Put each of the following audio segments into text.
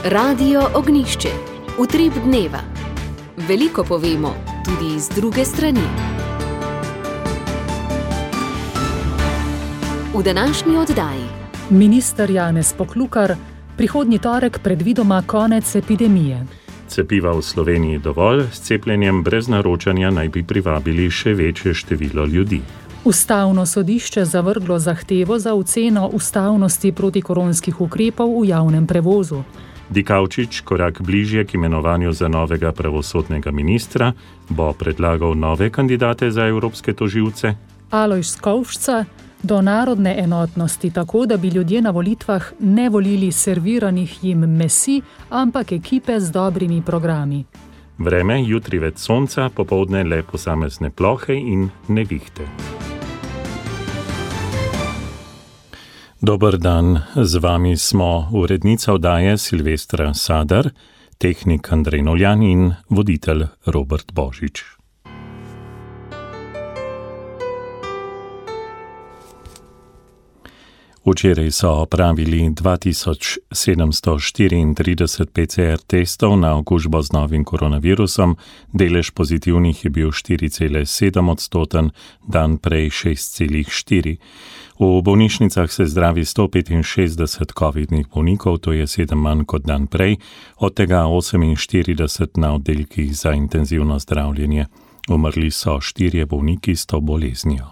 Radio Ognjišče. Utrip dneva. Veliko povemo, tudi z druge strani. V današnji oddaji. Minister Janez Poklukar, prihodnji torek predvidoma konec epidemije. Cepiva v Sloveniji dovolj, s cepljenjem brez naročanja naj bi privabili še večje število ljudi. Ustavno sodišče zavrglo zahtevo za oceno ustavnosti protikoronskih ukrepov v javnem prevozu. Dikaučič, korak bližje k imenovanju za novega pravosodnega ministra, bo predlagal nove kandidate za evropske tožilce. Alojz Skovšca, do narodne enotnosti, tako da bi ljudje na volitvah ne volili serviranih jim mesij, ampak ekipe z dobrimi programi. Vreme, jutri več sonca, popoldne le posamezne plohe in nevihte. Dober dan, z vami smo urednica oddaje Silvestra Sadar, tehnik Andrej Noljan in voditelj Robert Božič. Včeraj so opravili 2734 PCR testov na okužbo z novim koronavirusom, delež pozitivnih je bil 4,7%, dan prej 6,4%. V bolnišnicah se zdravi 165 covidnih bolnikov, to je 7 manj kot dan prej, od tega 48 na oddelkih za intenzivno zdravljenje. Umrli so 4 bolniki s to boleznijo.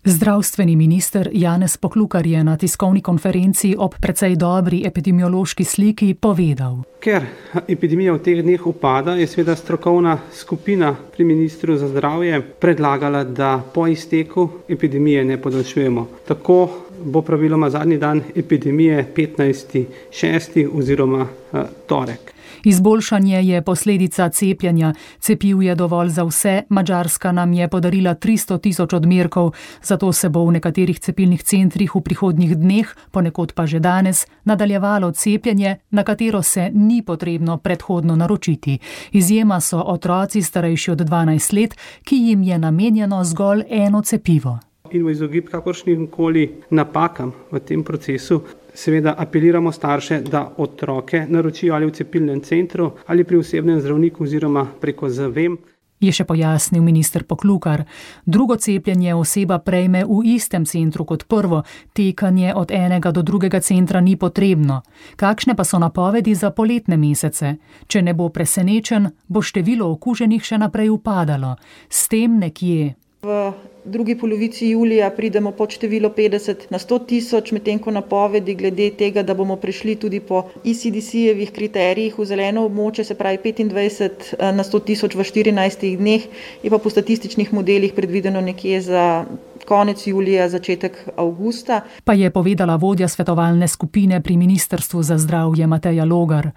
Zdravstveni minister Janez Poklukar je na tiskovni konferenci ob precej dobri epidemiološki sliki povedal. Ker epidemija v teh dneh upada, je seveda strokovna skupina pri ministru za zdravje predlagala, da po izteku epidemije ne podaljšujemo. Tako bo praviloma zadnji dan epidemije 15.6. oziroma torek. Izboljšanje je posledica cepljenja. Cepiv je dovolj za vse, Madžarska nam je podarila 300.000 odmerkov, zato se bo v nekaterih cepilnih centrih v prihodnjih dneh, ponekod pa že danes, nadaljevalo cepljenje, na katero se ni potrebno predhodno naročiti. Izjema so otroci starejši od 12 let, ki jim je namenjeno zgolj eno cepivo. In v izogib kakršnim koli napakam v tem procesu seveda apeliramo starše, da otroke naročijo ali v cepilnem centru ali pri osebnem zdravniku oziroma preko ZVEM. Je še pojasnil minister Poklukar. Drugo cepljenje oseba prejme v istem centru kot prvo, tekanje od enega do drugega centra ni potrebno. Kakšne pa so napovedi za poletne mesece? Če ne bo presenečen, bo število okuženih še naprej upadalo. S tem nekje. V drugi polovici julija pridemo pod število 50 na 100.000, medtem ko napovedi glede tega, da bomo prišli tudi po ECDC-jevih kriterijih v zeleno območje, se pravi 25 na 100.000 v 14 dneh, je pa po statističnih modelih predvideno nekje za konec julija, začetek avgusta. Pa je povedala vodja svetovalne skupine pri Ministrstvu za zdravje Mateja Logar.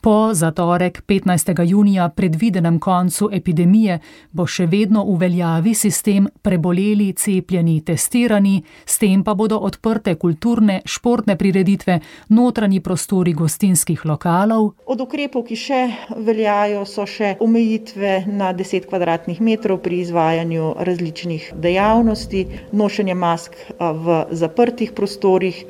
Po za torek 15. junija predvidenem koncu epidemije bo še vedno v veljavi sistem preboleli, cepljeni, testirani, s tem pa bodo odprte kulturne, športne prireditve, notranji prostori gostinskih lokalov. Od ukrepov, ki še veljajo, so še omejitve na 10 kvadratnih metrov pri izvajanju različnih dejavnosti, nošenje mask v zaprtih prostorih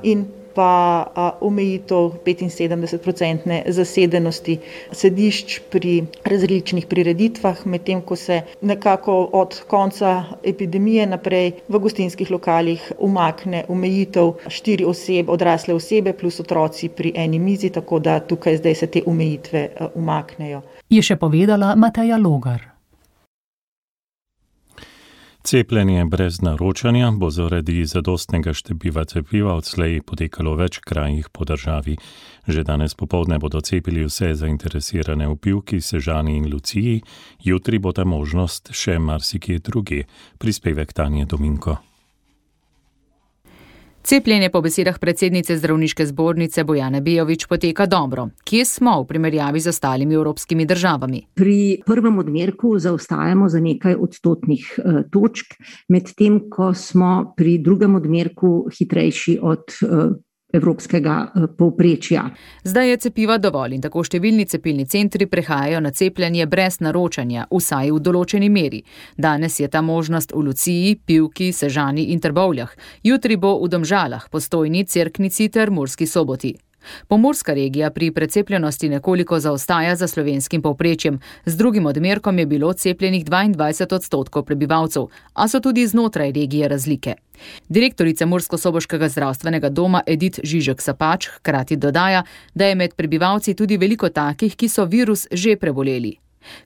in pa omejitev 75% zasedenosti sedišč pri različnih prireditvah, medtem ko se nekako od konca epidemije naprej v gostinskih lokalih umakne omejitev 4 oseb, odrasle osebe plus otroci pri eni mizi, tako da tukaj zdaj se te omejitve umaknejo. Je še povedala Mateja Logar. Cepljenje brez naročanja bo zaradi zadostnega števila cepiva odslej potekalo v več krajih po državi. Že danes popoldne bodo cepili vse zainteresirane v Pivki, Sežani in Luciji, jutri bo ta možnost še marsikje drugje. Prispevek Tanje Dominko. Cepljenje po besedah predsednice zdravniške zbornice Bojane Bejović poteka dobro. Kje smo v primerjavi z ostalimi evropskimi državami? Pri prvem odmerku zaostajamo za nekaj odstotnih točk, medtem ko smo pri drugem odmerku hitrejši od evropskega povprečja. Zdaj je cepiva dovolj in tako številni cepilni centri prehajajo na cepljenje brez naročanja, vsaj v določeni meri. Danes je ta možnost v Luciji, Pivki, Sežani in Trbovljah. Jutri bo v Domžalah, Postojni, Cerknici ter Murski Soboti. Pomurska regija pri precepljenosti nekoliko zaostaja za slovenskim povprečjem. Z drugim odmerkom je bilo cepljenih 22% prebivalcev, a so tudi znotraj regije razlike. Direktorica Murskosoboškega zdravstvenega doma Edith Žižek-Sapač hkrati dodaja, da je med prebivalci tudi veliko takih, ki so virus že preboleli.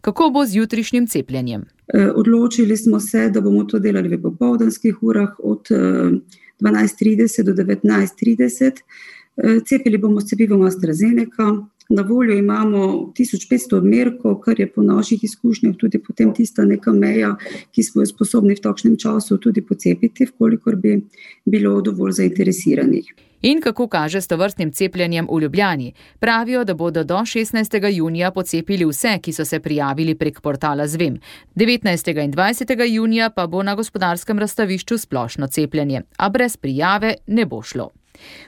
Kako bo z jutrišnjim cepljenjem? Odločili smo se, da bomo to delali v popoldanskih urah od 12:30 do 19:30. Cepili bomo s cepivom AstraZeneca. Na voljo imamo 1500 odmerkov, kar je po naših izkušnjah tudi potem tista neka meja, ki smo jo sposobni v takšnem času tudi pocepiti, vkolikor bi bilo dovolj zainteresiranih. In kako kaže s tovrstnim cepljenjem v Ljubljani? Pravijo, da bodo do 16. junija pocepili vse, ki so se prijavili prek portala Zvem. 19. in 20. junija pa bo na Gospodarskem razstavišču splošno cepljenje, a brez prijave ne bo šlo.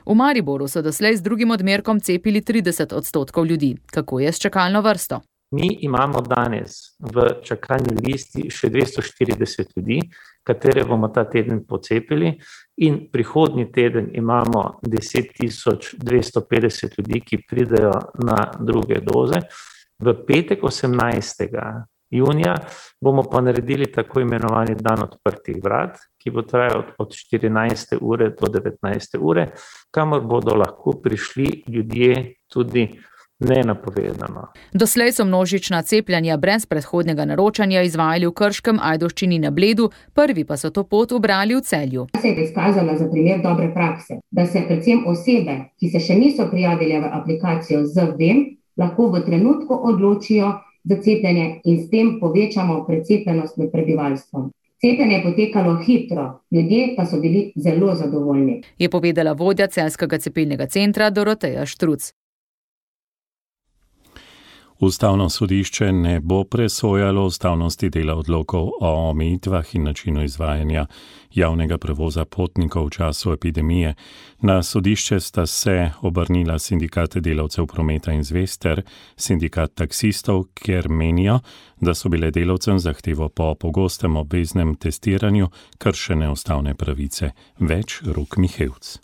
V Mariboru so doslej z drugim odmerkom cepili 30% ljudi. Kako je s čakalno vrsto? Mi imamo danes v čakalni listi še 240 ljudi, katere bomo ta teden pocepili, in prihodnji teden imamo 10.250 ljudi, ki pridejo na druge doze. V petek 18. junija bomo pa naredili tako imenovani dan odprtih vrat, ki bo trajal od 14. ure do 19. ure, kamor bodo lahko prišli ljudje tudi nenapovedano. Doslej so množična cepljanja brez predhodnega naročanja izvajali v Krškem, Ajdovščini, na Bledu, prvi pa so to pot ubrali v Celju. Se je izkazala za primer dobre prakse, da se predvsem osebe, ki se še niso prijavile v aplikacijo Zvem, lahko v trenutku odločijo za cepljenje in s tem povečamo precepljenost med prebivalstvom. Cepljenje je potekalo hitro, ljudje pa so bili zelo zadovoljni. Je povedala vodja Celjskega cepilnega centra Doroteja Štruc. Ustavno sodišče ne bo presojalo ustavnosti dela odlokov o omejitvah in načinu izvajanja javnega prevoza potnikov v času epidemije. Na sodišče sta se obrnila sindikate delavcev prometa in zvez ter sindikat taksistov, ker menijo, da so bile delavcem zahtevo po pogostem obveznem testiranju kršene ustavne pravice. Več Rok Mihevc.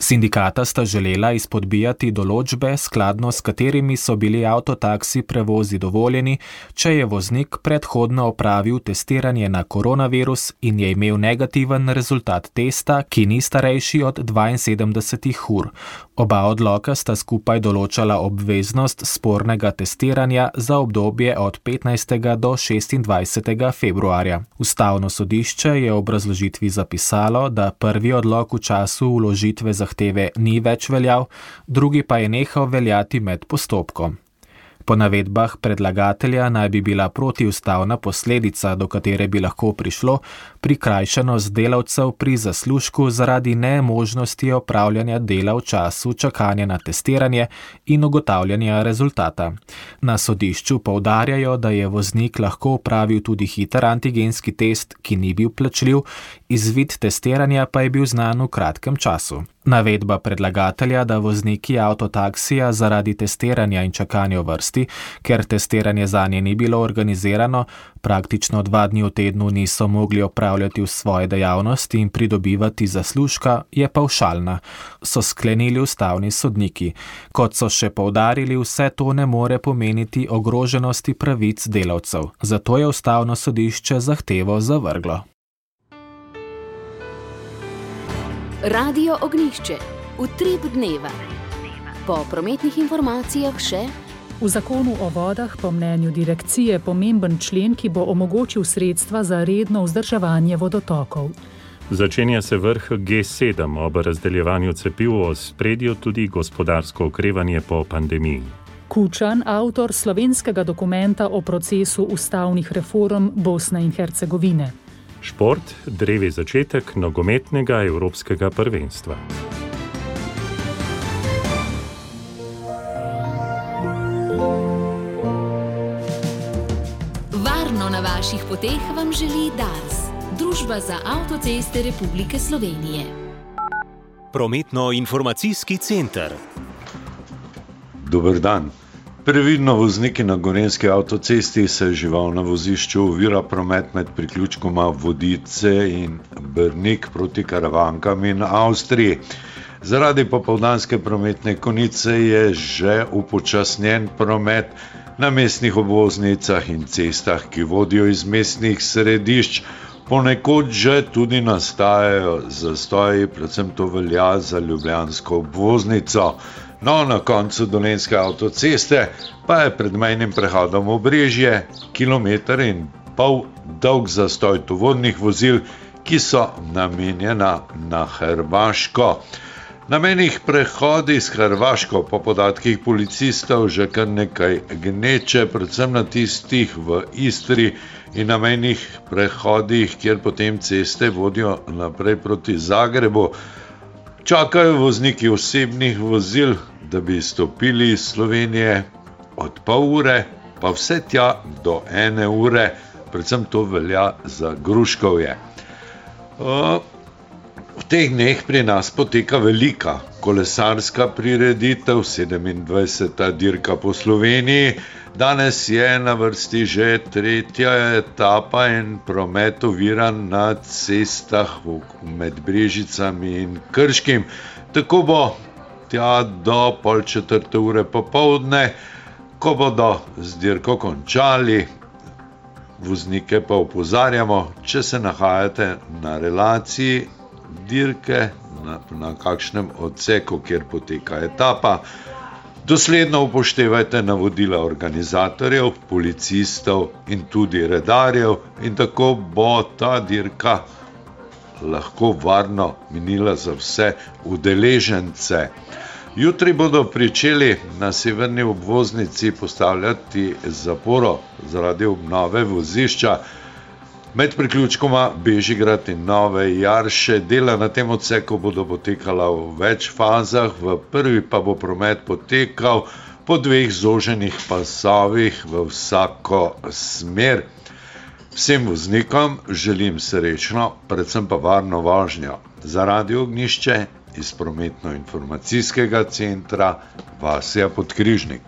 Sindikata sta želela izpodbijati določbe, skladno s katerimi so bili avtotaksi prevozi dovoljeni, če je voznik predhodno opravil testiranje na koronavirus in je imel negativen rezultat testa, ki ni starejši od 72 ur. Oba odloka sta skupaj določala obveznost spornega testiranja za obdobje od 15. do 26. februarja. Ustavno sodišče je v obrazložitvi zapisalo, da prvi odlok v času vložitve zahteve ni več veljal, drugi pa je nehal veljati med postopkom. Po navedbah predlagatelja naj bi bila protiustavna posledica, do katere bi lahko prišlo, prikrajšanost delavcev pri zaslužku zaradi nemožnosti opravljanja dela v času čakanja na testiranje in ugotavljanja rezultata. Na sodišču poudarjajo, da je voznik lahko opravil tudi hiter antigenski test, ki ni bil plačljiv, izvid testiranja pa je bil znan v kratkem času. Navedba predlagatelja, da vozniki avtotaksija zaradi testiranja in čakanja v vrsti, ker testiranje zanje ni bilo organizirano, praktično 2 dni v tednu niso mogli opravljati v svoje dejavnosti in pridobivati zaslužka, je pavšalna, so sklenili ustavni sodniki. Kot so še poudarili, vse to ne more pomeniti ogroženosti pravic delavcev. Zato je ustavno sodišče zahtevo zavrglo. Radio Ognjišče. Utrip dneva. Po prometnih informacijah še: v zakonu o vodah po mnenju direkcije pomemben člen, ki bo omogočil sredstva za redno vzdrževanje vodotokov. Začenja se vrh G7 ob razdeljevanju cepiv, v ospredju tudi gospodarsko okrevanje po pandemiji. Kučan, avtor slovenskega dokumenta o procesu ustavnih reform Bosne in Hercegovine. Šport, drevi začetek nogometnega evropskega prvenstva. Varno na vaših poteh vam želi Dars, Družba za avtoceste Republike Slovenije. Prometno-informacijski center. Dober dan. Previdno vozniki na gorenjski avtocesti, se žival na vozišču ovira promet med priključkoma Vodice in Brnik proti Karavankam in Avstriji. Zaradi popoldanske prometne konice je že upočasnjen promet na mestnih obvoznicah in cestah, ki vodijo iz mestnih središč. Ponekod že tudi nastajajo zastoji, predvsem to velja za ljubljansko obvoznico. No, na koncu Dolenjske avtoceste pa je pred mejnim prehodom Obrežje 1,5 kilometra dolg zastoj tovornih vozil, ki so namenjena na Hrvaško. Na mejnih prehodih s Hrvaško po podatkih policistov že kar nekaj gneče, predvsem na tistih v Istri in na mejnih prehodih, kjer potem ceste vodijo naprej proti Zagrebu. Čakajo vozniki osebnih vozil, da bi stopili iz Slovenije od pol ure, pa vse tja do 1 ure, predvsem to velja za Gruškovje. V teh dneh pri nas poteka velika kolesarska prireditev, 27. dirka po Sloveniji. Danes je na vrsti že 3. etapa in promet oviran na cestah med Brežicami in Krškim. Tako bo tja do 3:30 ure popoldne, ko bodo z dirko končali. Voznike pa opozarjamo, če se nahajate na relaciji dirke, na kakšnem odseku, kjer poteka etapa, dosledno upoštevajte navodila organizatorjev, policistov in tudi redarjev in tako bo ta dirka lahko varno minila za vse udeležence. Jutri bodo pričeli na severni obvoznici postavljati zaporo zaradi obnove vozišča. Med priključkoma Bežigrad in Nove Jarše dela na tem odseku bodo potekala v več fazah, v prvi pa bo promet potekal po 2 zoženih pasovih v vsako smer. Vsem voznikom želim srečno, predvsem pa varno vožnjo. Za Radio Ognjišče iz prometno-informacijskega centra Vasja Podkrižnik.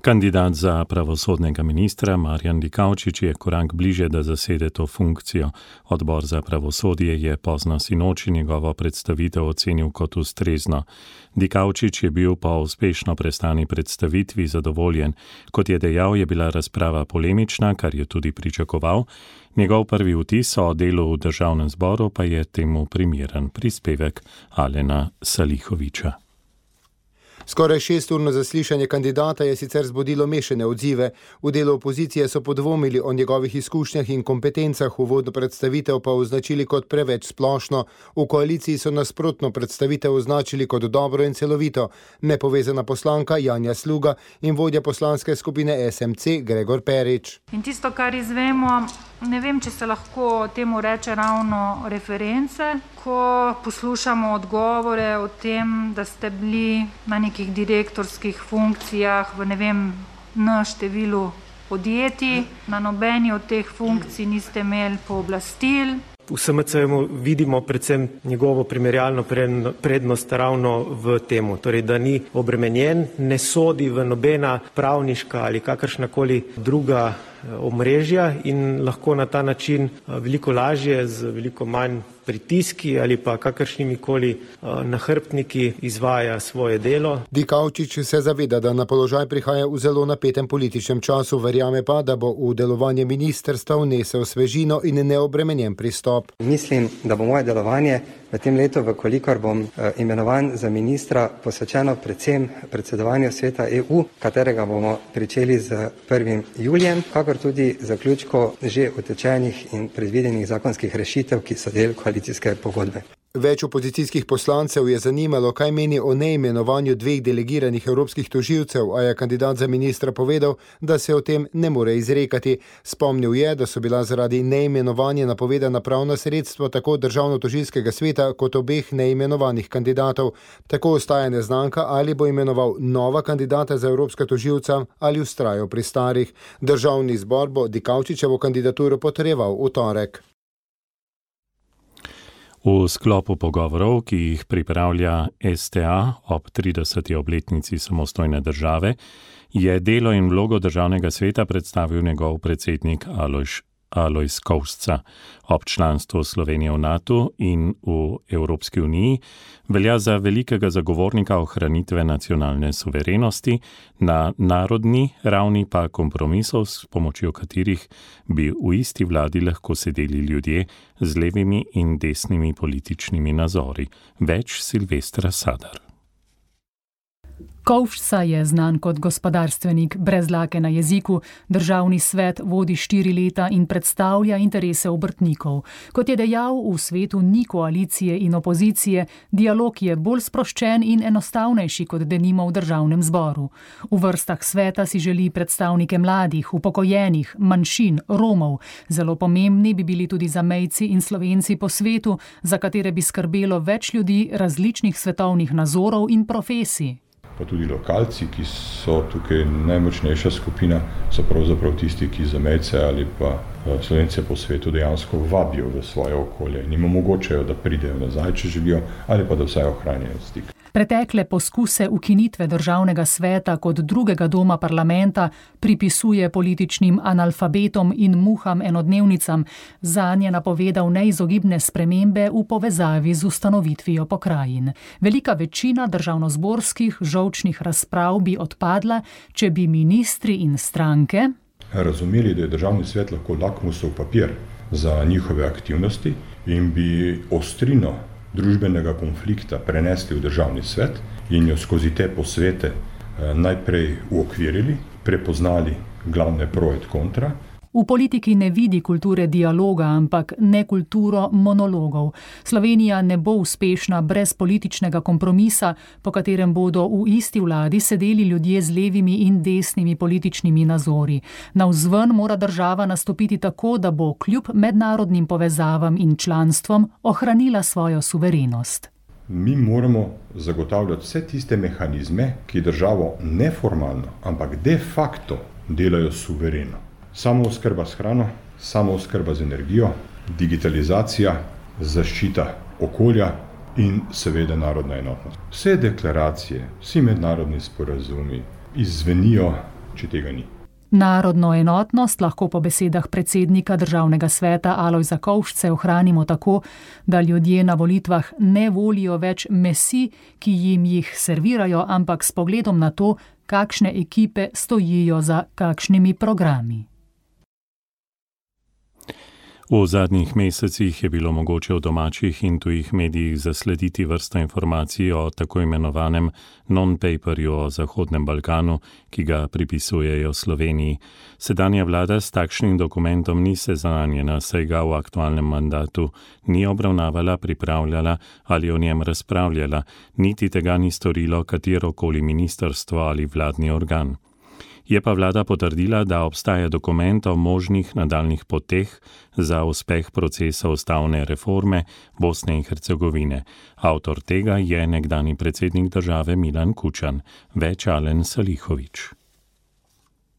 Kandidat za pravosodnega ministra Marjan Dikaučič je korak bliže, da zasede to funkcijo. Odbor za pravosodje je pozno sinoči njegovo predstavitev ocenil kot ustrezno. Dikaučič je bil po uspešno prestani predstavitvi zadovoljen. Kot je dejal, je bila razprava polemična, kar je tudi pričakoval. Njegov prvi vtis o delu v državnem zboru pa je temu primeren. Prispevek Alena Salihoviča. Skoraj 6-urno zaslišanje kandidata je sicer zbudilo mešane odzive. V delu opozicije so podvomili o njegovih izkušnjah in kompetencah, uvodno predstavitev pa označili kot preveč splošno. V koaliciji so nasprotno predstavitev označili kot dobro in celovito. Nepovezana poslanka Janja Sluga in vodja poslanske skupine SMC Gregor Perič. In tisto, kar izvemo, ne vem, če se lahko temu reče ravno reference, ko poslušamo odgovore o tem, da ste bili na nekih direktorskih funkcijah v številu podjetij, na nobeni od teh funkcij niste imeli pooblastil. V SMC-ju vidimo predvsem njegovo primerjalno prednost ravno v temu, torej da ni obremenjen, ne sodi v nobena pravniška ali kakršnakoli druga omrežja in lahko na ta način veliko lažje, z veliko manj pritiski ali pa kakršnimi koli nahrbtniki izvaja svoje delo. Dikaučič se zaveda, da na položaj prihaja v zelo napetem političnem času, verjame pa, da bo v delovanje ministrstva vnesel svežino in neobremenjen pristop. Mislim, da bo moje delovanje v tem letu, vkolikor bom imenovan za ministra, posvečeno predvsem predsedovanju Sveta EU, katerega bomo pričeli z 1. julijem, kakor tudi zaključko že utečenih in predvidenih zakonskih rešitev, ki so del koalicijske pogodbe. Več opozicijskih poslancev je zanimalo, kaj meni o neimenovanju 2 delegiranih evropskih tožilcev, a je kandidat za ministra povedal, da se o tem ne more izrekati. Spomnil je, da so bila zaradi neimenovanja napovedana pravna sredstva tako državno-tožilskega sveta kot obeh neimenovanih kandidatov. Tako ostaja neznanka, ali bo imenoval nova kandidata za evropska tožilca ali vztrajal pri starih. Državni zbor bo Dikaučičevo kandidaturo potrjeval v torek. V sklopu pogovorov, ki jih pripravlja STA ob 30. obletnici samostojne države, je delo in vlogo državnega sveta predstavil njegov predsednik Alojz Kovšca. Ob članstvu Slovenije v NATO in v Evropski uniji velja za velikega zagovornika ohranitve nacionalne suverenosti, na narodni ravni pa kompromisov, s pomočjo katerih bi v isti vladi lahko sedeli ljudje z levimi in desnimi političnimi nazori. Več Silvestra Sadar. Kovšca je znan kot gospodarstvenik brez dlake na jeziku, državni svet vodi 4 leta in predstavlja interese obrtnikov. Kot je dejal, v svetu ni koalicije in opozicije, dialog je bolj sproščen in enostavnejši kot denimo v državnem zboru. V vrstah sveta si želi predstavnike mladih, upokojenih, manjšin, Romov. Zelo pomembni bi bili tudi zamejci in Slovenci po svetu, za katere bi skrbelo več ljudi različnih svetovnih nazorov in profesij. Pa tudi lokalci, ki so tukaj najmočnejša skupina, so pravzaprav tisti, ki zamejce ali pa Slovence po svetu dejansko vabijo v svoje okolje in jim omogočajo, da pridejo nazaj, če želijo, ali pa da vsaj ohranjajo stik. Pretekle poskuse ukinitve državnega sveta kot drugega doma parlamenta pripisuje političnim analfabetom in muham enodnevnicam, zanje napovedal neizogibne spremembe v povezavi z ustanovitvijo pokrajin. Velika večina državnozborskih žolčnih razprav bi odpadla, če bi ministri in stranke razumeli, da je državni svet lahko lakmusov papir za njihove aktivnosti in bi ostrino družbenega konflikta prenesli v državni svet in jo skozi te posvete najprej uokvirili, prepoznali glavne pro et kontra. V politiki ne vidi kulture dialoga, ampak ne kulturo monologov. Slovenija ne bo uspešna brez političnega kompromisa, po katerem bodo v isti vladi sedeli ljudje z levimi in desnimi političnimi nazori. Navzven mora država nastopiti tako, da bo kljub mednarodnim povezavam in članstvom ohranila svojo suverenost. Mi moramo zagotavljati vse tiste mehanizme, ki državo neformalno, ampak de facto delajo suvereno. Samooskrba s hrano, samooskrba z energijo, digitalizacija, zaščita okolja in seveda narodna enotnost. Vse deklaracije, vsi mednarodni sporazumi izzvenijo, če tega ni. Narodno enotnost lahko po besedah predsednika državnega sveta Alojza Kovšce ohranimo tako, da ljudje na volitvah ne volijo več mesij, ki jim jih servirajo, ampak s pogledom na to, kakšne ekipe stojijo za kakšnimi programi. V zadnjih mesecih je bilo mogoče v domačih in tujih medijih zaslediti vrsto informacij o tako imenovanem non-paperju o Zahodnem Balkanu, ki ga pripisujejo Sloveniji. Sedanja vlada s takšnim dokumentom ni seznanjena, saj ga v aktualnem mandatu ni obravnavala, pripravljala ali o njem razpravljala, niti tega ni storilo katerokoli ministrstvo ali vladni organ. Je pa vlada potrdila, da obstaja dokument o možnih nadaljnih poteh za uspeh procesa ustavne reforme Bosne in Hercegovine. Avtor tega je nekdanji predsednik države Milan Kučan, več Alen Salihović.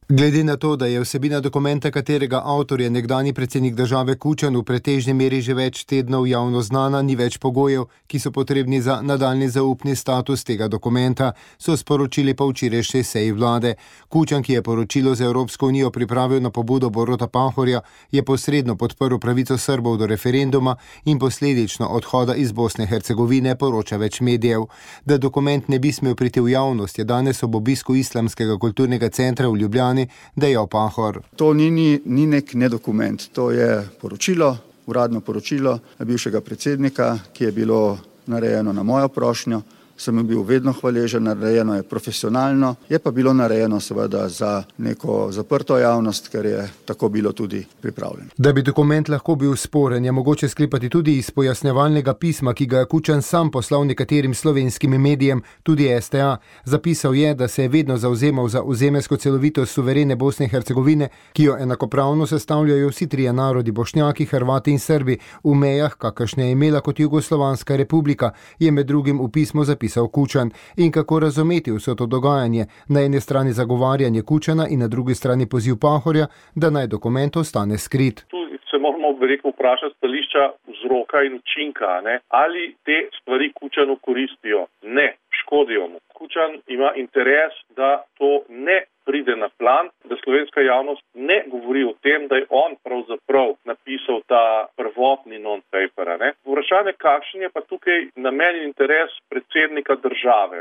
Glede na to, da je vsebina dokumenta, katerega avtor je nekdanji predsednik države Kučan, v pretežni meri že več tednov javno znana, ni več pogojev, ki so potrebni za nadaljni zaupni status tega dokumenta, so sporočili po včerajšnji seji vlade. Kučan, ki je poročilo za Evropsko unijo pripravil na pobudo Boruta Pahorja, je posredno podprl pravico Srbov do referenduma in posledično odhoda iz Bosne in Hercegovine, poroča več medijev. Da dokument ne bi smel priti v javnost, je danes ob obisku Islamskega kulturnega centra v Ljubljani dejal Pahor. To ni nek nedokument, to je poročilo, uradno poročilo bivšega predsednika, ki je bilo narejeno na mojo prošnjo. Sem bil vedno hvaležen, narejeno je profesionalno, je pa bilo narejeno seveda za neko zaprto javnost, ker je tako bilo tudi pripravljeno. Da bi dokument lahko bil sporen, je mogoče sklepati tudi iz pojasnjevalnega pisma, ki ga je Kučan sam poslal nekaterim slovenskim medijem, tudi STA. Zapisal je, da se je vedno zavzemal za ozemeljsko celovitost suverene Bosne in Hercegovine, ki jo enakopravno sestavljajo vsi trije narodi, Bošnjaki, Hrvati in Srbi, v mejah, kakršne je imela kot Jugoslovanska republika, je med drugim v pismu zapisal Kučan. In kako razumeti vse to dogajanje? Na eni strani zagovarjanje Kučana in na drugi strani poziv Pahorja, da naj dokument ostane skrit. Tu se moramo, vprašati stališča vzroka in učinka, ne? Ali te stvari Kučanu koristijo? Ne, škodijo mu. Kučan ima interes, da to ne pride na plan, da slovenska javnost ne govori o tem, da je on pravzaprav napisal ta prvotni non-paper. Vprašanje, kakšen je pa tukaj namen in interes predsednika države.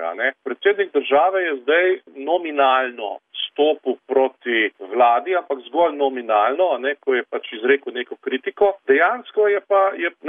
Predsednik države je zdaj nominalno stopil proti vladi, ampak zgolj nominalno, ko je pač izrekel neko kritiko. Dejansko je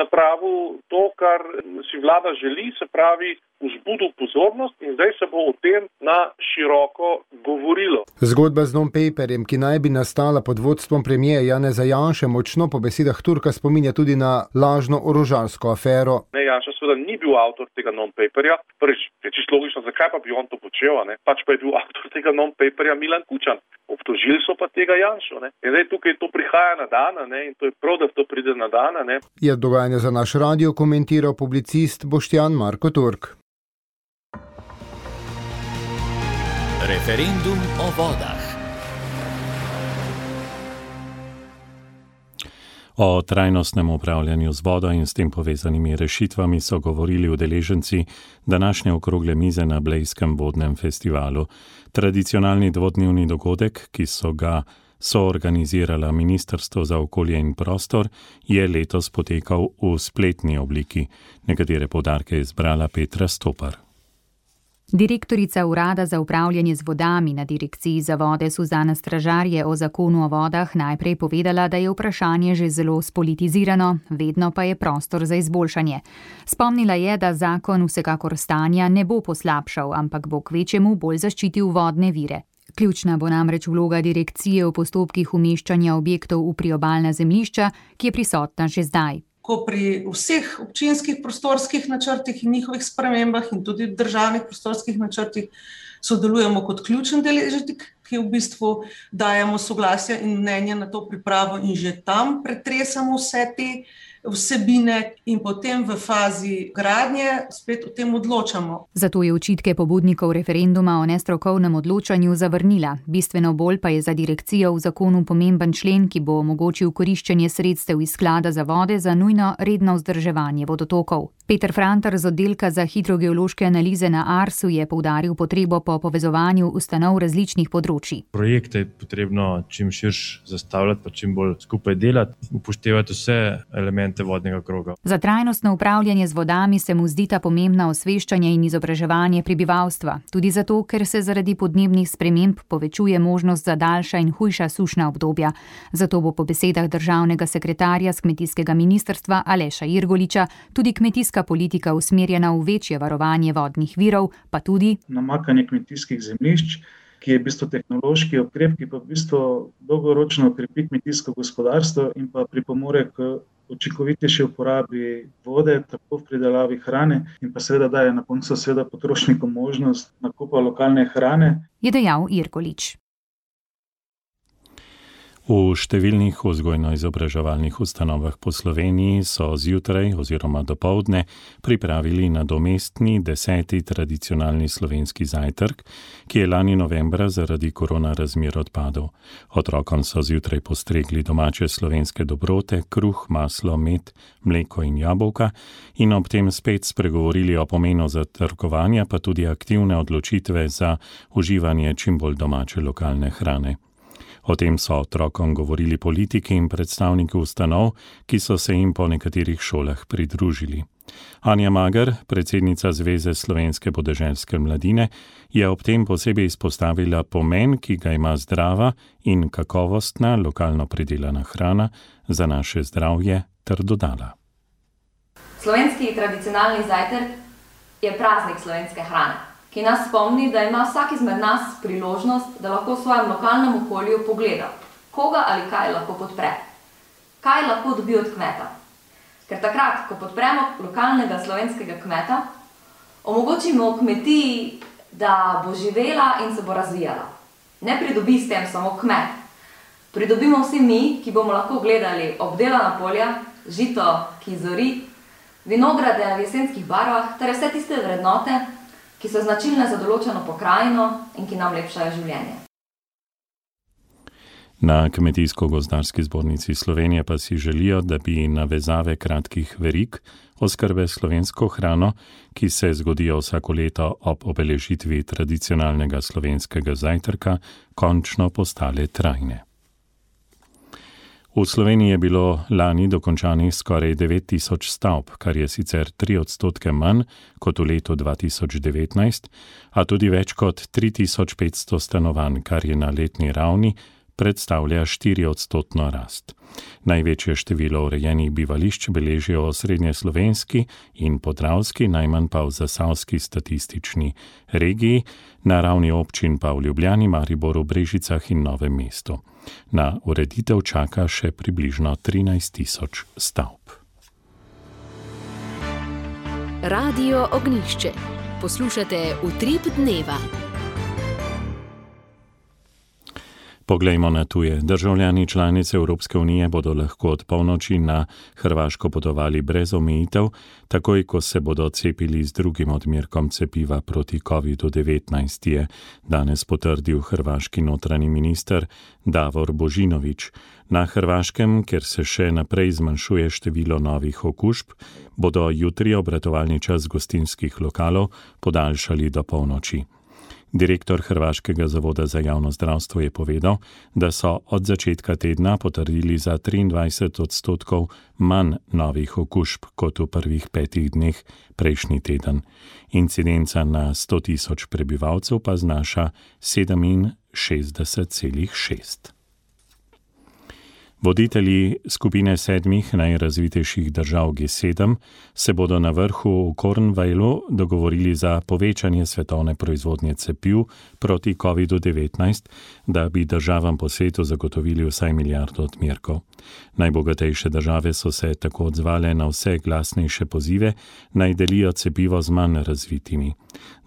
napravil to, kar si vlada želi, se pravi vzbudil pozornost in zdaj se bo o tem na široko govorilo. Zgodba z non-paperjem, ki naj bi nastala pod vodstvom premierja Janeza Janše, močno po besedah Turka spominja tudi na lažno orožarsko afero. Janša seveda ni bil avtor tega non-paperja. Prvič, je čisto logično, zakaj pa bi on to počel, Pač pa je bil avtor tega non-paperja Milan Kučan. Obtožili so pa tega Janšo. In zdaj tukaj to prihaja na dan, in to je prav, da to pride na dan. Je dogajanje za naš radio komentiral publicist Boštjan Marko Turk. Referendum o vodah. O trajnostnem upravljanju z vodo in s tem povezanimi rešitvami so govorili udeleženci današnje okrogle mize na Blejskem vodnem festivalu. Tradicionalni dvodnevni dogodek, ki so ga soorganizirala Ministrstvo za okolje in prostor, je letos potekal v spletni obliki. Nekatere poudarke je izbrala Petra Stopar. Direktorica Urada za upravljanje z vodami na Direkciji za vode Suzana Stražar je o zakonu o vodah najprej povedala, da je vprašanje že zelo spolitizirano, vedno pa je prostor za izboljšanje. Spomnila je, da zakon vsekakor stanja ne bo poslabšal, ampak bo kvečjemu bolj zaščitil vodne vire. Ključna bo namreč vloga direkcije v postopkih umeščanja objektov v priobalna zemljišča, ki je prisotna že zdaj. Ko pri vseh občinskih prostorskih načrtih in njihovih spremembah in tudi državnih prostorskih načrtih sodelujemo kot ključen deležnik, ki v bistvu dajemo soglasja in mnenja na to pripravo in že tam pretresamo vse te vsebine in potem v fazi gradnje spet o tem odločamo. Zato je očitke pobudnikov referenduma o nestrokovnem odločanju zavrnila. Bistveno bolj pa je za direkcijo v zakonu pomemben člen, ki bo omogočil koriščenje sredstev iz sklada za vode za nujno redno vzdrževanje vodotokov. Peter Frantar z oddelka za hidrogeološke analize na Arsu je poudaril potrebo po povezovanju ustanov različnih področij. Projekte je potrebno čim širše zastavljati, pa čim bolj skupaj delati, upoštevati vse elemente vodnega kroga. Za trajnostno upravljanje z vodami se mu zdita pomembna osveščanje in izobraževanje prebivalstva, tudi zato, ker se zaradi podnebnih sprememb povečuje možnost za daljša in hujša sušna obdobja. Zato bo po besedah državnega sekretarja z kmetijskega ministrstva Aleša Irgoliča tudi kmetijska politika usmerjena v večje varovanje vodnih virov, pa tudi namakanje kmetijskih zemljišč, ki je v bistvu tehnološki ukrep, ki pa v bistvu dolgoročno krepi kmetijsko gospodarstvo in pa pripomore k učinkovitejši uporabi vode, tako v pridelavi hrane in pa seveda daje na koncu seveda potrošnikom možnost nakupa lokalne hrane. Je dejal Irgolič. V številnih vzgojno-izobraževalnih ustanovah po Sloveniji so zjutraj oziroma dopoldne pripravili nadomestni 10. tradicionalni slovenski zajtrk, ki je lani novembra zaradi korona razmer odpadel. Otrokom so zjutraj postregli domače slovenske dobrote, kruh, maslo, med, mleko in jabolka in ob tem spet spregovorili o pomenu zajtrkovanja, pa tudi aktivne odločitve za uživanje čim bolj domače lokalne hrane. O tem so otrokom govorili politiki in predstavniki ustanov, ki so se jim po nekaterih šolah pridružili. Anja Mager, predsednica Zveze slovenske podeželske mladine, je ob tem posebej izpostavila pomen, ki ga ima zdrava in kakovostna lokalno pridelana hrana za naše zdravje, ter dodala. Slovenski tradicionalni zajtrk je praznik slovenske hrane, ki nas spomni, da ima vsak izmed nas priložnost, da lahko v svojem lokalnem okolju pogleda, koga ali kaj lahko podpre, kaj lahko dobi od kmeta. Ker takrat, ko podpremo lokalnega slovenskega kmeta, omogočimo kmetiji, da bo živela in se bo razvijala. Ne pridobi s tem samo kmet. Pridobimo vsi mi, ki bomo lahko gledali obdelana polja, žito, ki zori, vinograde v jesenskih barvah, ter vse tiste vrednote, ki so značilne za določeno pokrajino in ki nam lepšajo življenje. Na Kmetijsko-gozdarski zbornici Slovenije pa si želijo, da bi navezave kratkih verig oskrbe slovensko hrano, ki se zgodijo vsako leto ob obeležitvi tradicionalnega slovenskega zajtrka, končno postale trajne. V Sloveniji je bilo lani dokončanih skoraj 9000 stavb, kar je sicer 3% manj kot v letu 2019, a tudi več kot 3500 stanovanj, kar je na letni ravni predstavlja 4% rast. Največje število urejenih bivališč beležijo v srednjeslovenski in podravski, najmanj pa v zasavski statistični regiji, na ravni občin pa v Ljubljani, Mariboru, Brežicah in Novem mestu. Na ureditev čaka še približno 13 000 stavb. Radio Ognjišče. Poslušate Utrip dneva. Poglejmo na tuje. Državljani članice Evropske unije bodo lahko od polnoči na Hrvaško potovali brez omejitev, takoj ko se bodo cepili z drugim odmerkom cepiva proti COVID-19, je danes potrdil hrvaški notranji minister Davor Božinović. Na Hrvaškem, kjer se še naprej zmanjšuje število novih okužb, bodo jutri obratovalni čas gostinskih lokalov podaljšali do polnoči. Direktor Hrvaškega zavoda za javno zdravstvo je povedal, da so od začetka tedna potrdili za 23% manj novih okužb kot v prvih 5 dneh prejšnji teden. Incidenca na 100 000 prebivalcev pa znaša 67,6. Voditelji skupine 7 najrazvitejših držav G7 se bodo na vrhu v Cornwallu dogovorili za povečanje svetovne proizvodnje cepiv proti COVID-19, da bi državam po svetu zagotovili vsaj 1 milijardo odmerkov. Najbogatejše države so se tako odzvale na vse glasnejše pozive, naj delijo cepivo z manj razvitimi.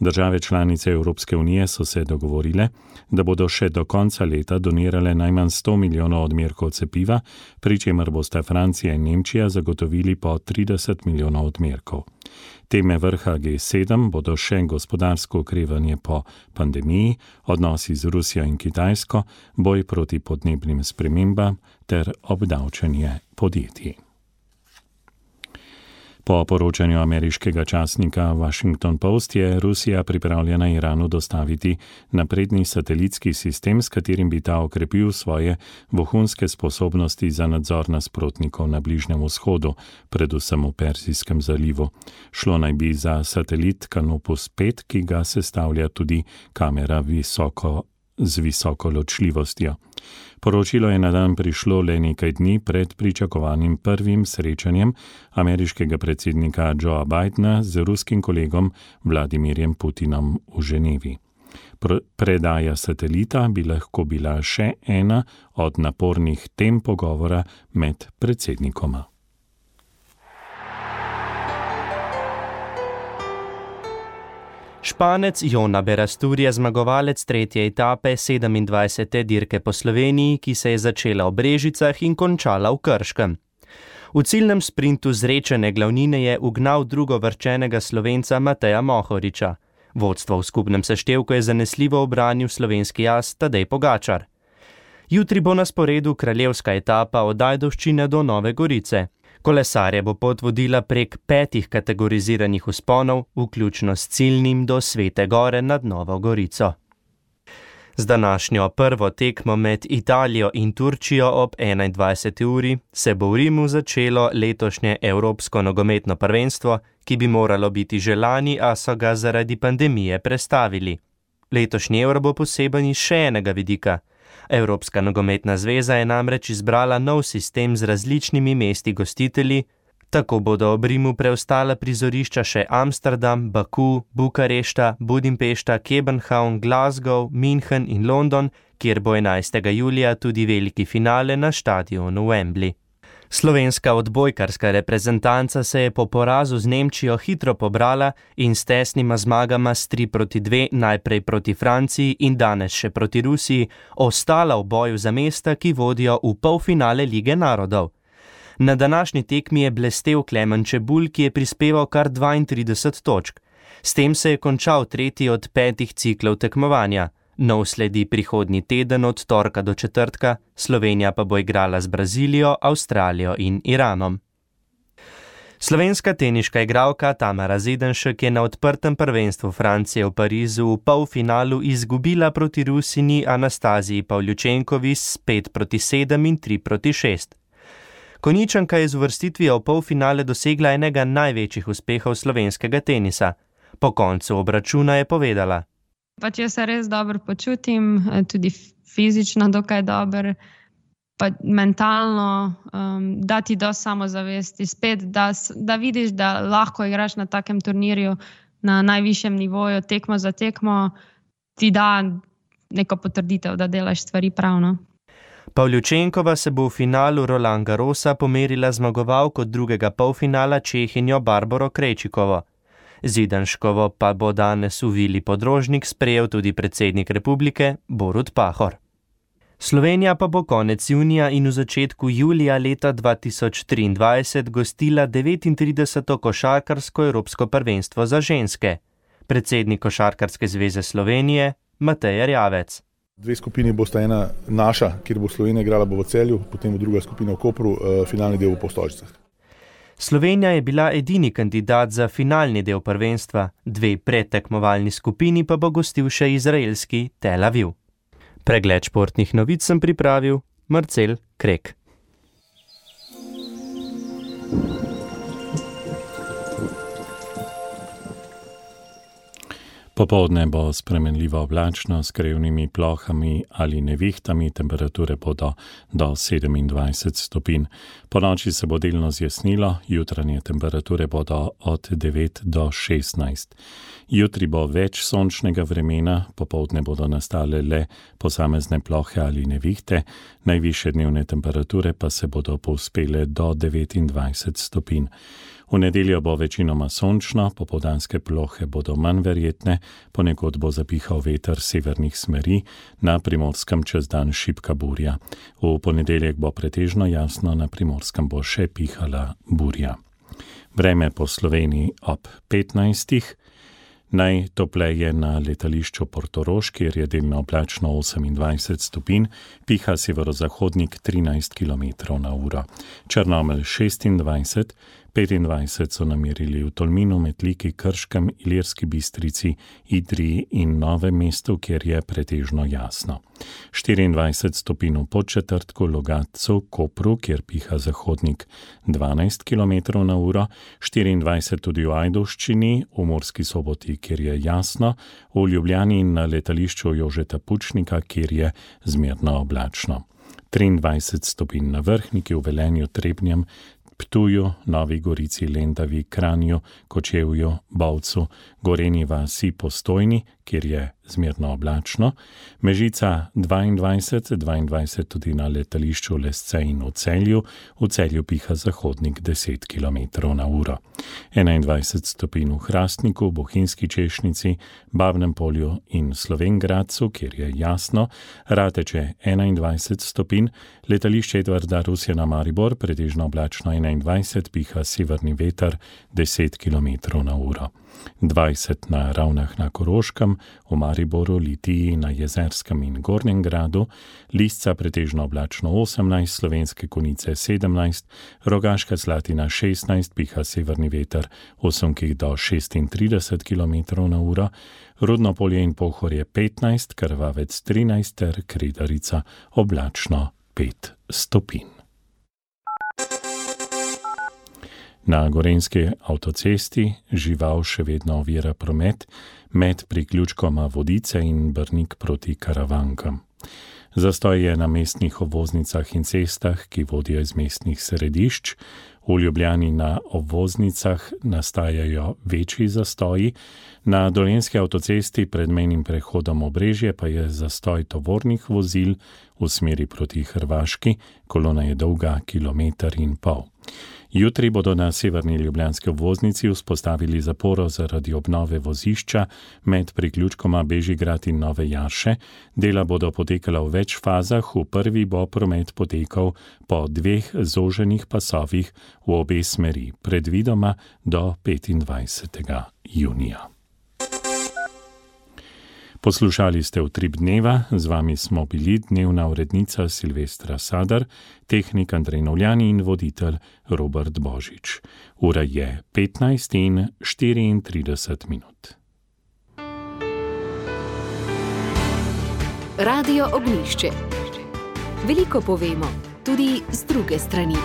Države članice Evropske unije so se dogovorile, da bodo še do konca leta donirale najmanj 100 milijonov odmerkov cepiva, pri čemer bosta Francija in Nemčija zagotovili po 30 milijonov odmerkov. Teme vrha G7 bodo še gospodarsko okrevanje po pandemiji, odnosi z Rusijo in Kitajsko, boj proti podnebnim spremembam ter obdavčenje podjetij. Po poročanju ameriškega časnika Washington Post je Rusija pripravljena Iranu dostaviti napredni satelitski sistem, s katerim bi ta okrepil svoje vohunske sposobnosti za nadzor nasprotnikov na Bližnjem vzhodu, predvsem v Perzijskem zalivu. Šlo naj bi za satelit Canopus 5, ki ga sestavlja tudi kamera z visoko ločljivostjo. Poročilo je na dan prišlo le nekaj dni pred pričakovanim prvim srečanjem ameriškega predsednika Joea Bidena z ruskim kolegom Vladimirjem Putinom v Ženevi. Predaja satelita bi lahko bila še ena od napornih tem pogovora med predsednikoma. Španec Jona Berastur je zmagovalec 3. etape 27. dirke po Sloveniji, ki se je začela v Brežicah in končala v Krškem. V ciljnem sprintu zrečene glavnine je ugnal drugovrščenega Slovenca Mateja Mohoriča. Vodstvo v skupnem seštevku je zanesljivo obranil slovenski as Tadej Pogačar. Jutri bo na sporedu kraljevska etapa od Ajdovščine do Nove Gorice. Kolesarje bo pot vodila prek 5 kategoriziranih vzponov, vključno s ciljnim do Svete Gore nad Novo Gorico. Z današnjo prvo tekmo med Italijo in Turčijo ob 21. uri se bo v Rimu začelo letošnje Evropsko nogometno prvenstvo, ki bi moralo biti že lani, a so ga zaradi pandemije prestavili. Letošnji Euro bo poseben iz še enega vidika. Evropska nogometna zveza je namreč izbrala nov sistem z različnimi mesti gostitelji, tako bodo ob Rimu preostala prizorišča še Amsterdam, Baku, Bukarešta, Budimpešta, Kebenhavn, Glasgow, München in London, kjer bo 11. julija tudi veliki finale na štadionu Wembley. Slovenska odbojkarska reprezentanca se je po porazu z Nemčijo hitro pobrala in s tesnima zmagama s 3-2 najprej proti Franciji in danes še proti Rusiji ostala v boju za mesta, ki vodijo v polfinale Lige narodov. Na današnji tekmi je blestel Klemen Čebulj, ki je prispeval kar 32 točk. S tem se je končal 3. od 5 ciklov tekmovanja. Nov sledi prihodnji teden od torka do četrtka, Slovenija pa bo igrala z Brazilijo, Avstralijo in Iranom. Slovenska teniška igralka Tamara Zedenšek je na odprtem prvenstvu Francije v Parizu v polfinalu izgubila proti Rusini Anastaziji Pavljučenkovi s 5-7 in 3-6. Konjičanka je z uvrstitvijo v polfinale dosegla enega največjih uspehov slovenskega tenisa. Po koncu obračuna je povedala: Jaz se res dobro počutim, tudi fizično dokaj dobro, pa mentalno, da ti dosti samozavesti, spet, da vidiš, da lahko igraš na takem turnirju na najvišjem nivoju, tekmo za tekmo, ti da neko potrditev, da delaš stvari pravno. Pavljučenkova se bo v finalu Roland Garrosa pomerila zmagovalko drugega polfinala Čehinjo Barbaro Krejčikovo. Zidanškovo pa bo danes v Vili Podrožnik sprejel tudi predsednik republike Borut Pahor. Slovenija pa bo konec junija in v začetku julija leta 2023 gostila 39. košarkarsko evropsko prvenstvo za ženske. Predsednik Košarkarske zveze Slovenije Matej Erjavec. Dve skupini bosta, ena naša, kjer bo Slovenija igrala, bo v Celju, potem druga skupina v Kopru, finalni del v Postojčicah. Slovenija je bila edini kandidat za finalni del prvenstva, dve predtekmovalni skupini pa bo gostil še izraelski Tel Aviv. Pregled športnih novic sem pripravil Marcel Krek. Popoldne bo spremenljivo oblačno s krevnimi plohami ali nevihtami, temperature bodo do 27 stopinj. Po noči se bo delno zjasnilo, jutranje temperature bodo od 9 do 16. Jutri bo več sončnega vremena, popoldne bodo nastale le posamezne plohe ali nevihte, najvišje dnevne temperature pa se bodo povzpele do 29 stopinj. V nedeljo bo večinoma sončno, popoldanske plohe bodo manj verjetne, ponekod bo zapihal veter severnih smeri, na Primorskem čez dan šibka burja. V ponedeljek bo pretežno jasno, na Primorskem bo še pihala burja. Vreme po Sloveniji ob 15. Najtopleje na letališču Portorož, kjer je delno oblačno 28 stopinj, piha severozahodnik 13 km/h. Črnomelj 26, 25 so namerili v Tolminu, Metliki, Krškem, Ilirski Bistrici, Idriji in Novem mestu, kjer je pretežno jasno. 24 stopinj v Podčetrtku, Logatcu, Kopru, kjer piha zahodnik 12 km/h, 24 tudi v Ajdovščini, v Murski Soboti, kjer je jasno, v Ljubljani in na letališču Jožeta Pučnika, kjer je zmerno oblačno. 23 stopinj na Vrhniki, v Velenju, Trebnjem, Ptuju, Novi Gorici, Lendavi, Kranju, Kočevju, Bovcu, Gorenji vasi, Postojni, kjer je zmerno oblačno, Mežica 22 tudi na letališču Lesce in v Celju piha zahodnik 10 km/h. 21 stopinj v Hrastniku, Bohinjski Češnici, Babnem Polju in Slovenj Gradcu, kjer je jasno, Rateče 21 stopinj, letališče Edvarda Rusjana Maribor, pretežno oblačno 21, piha severni veter 10 km/h. 20 na Ravnah na Koroškem, v Mariboru, Litiji, na Jezerskem in Gornjem Gradu, Lisca pretežno oblačno 18, Slovenske Konjice 17, Rogaška Slatina 16, piha severni veter 8 do 36 km/h, Rudno Polje in Pohorje 15, Krvavec 13 ter Kredarica oblačno 5 stopinj. Na gorenjski avtocesti žival še vedno ovira promet med priključkoma Vodice in Brnik proti Karavankam. Zastoj je na mestnih obvoznicah in cestah, ki vodijo iz mestnih središč. V Ljubljani na obvoznicah nastajajo večji zastoji, na Dolenjski avtocesti pred mejnim prehodom Obrežje pa je zastoj tovornih vozil v smeri proti Hrvaški, kolona je dolga 1,5 km. Jutri bodo na severni ljubljanski obvoznici vzpostavili zaporo zaradi obnove vozišča med priključkoma Bežigrad in Nove Jarše. Dela bodo potekala v več fazah, v prvi bo promet potekal po 2 zoženih pasovih v obe smeri, predvidoma do 25. junija. Poslušali ste Utrip dneva, z vami smo bili dnevna urednica Silvestra Sadar, tehnik Andrej Novljani in voditelj Robert Božič. Ura je 15:34. Radio Ognjišče. Veliko povemo, tudi z druge strani.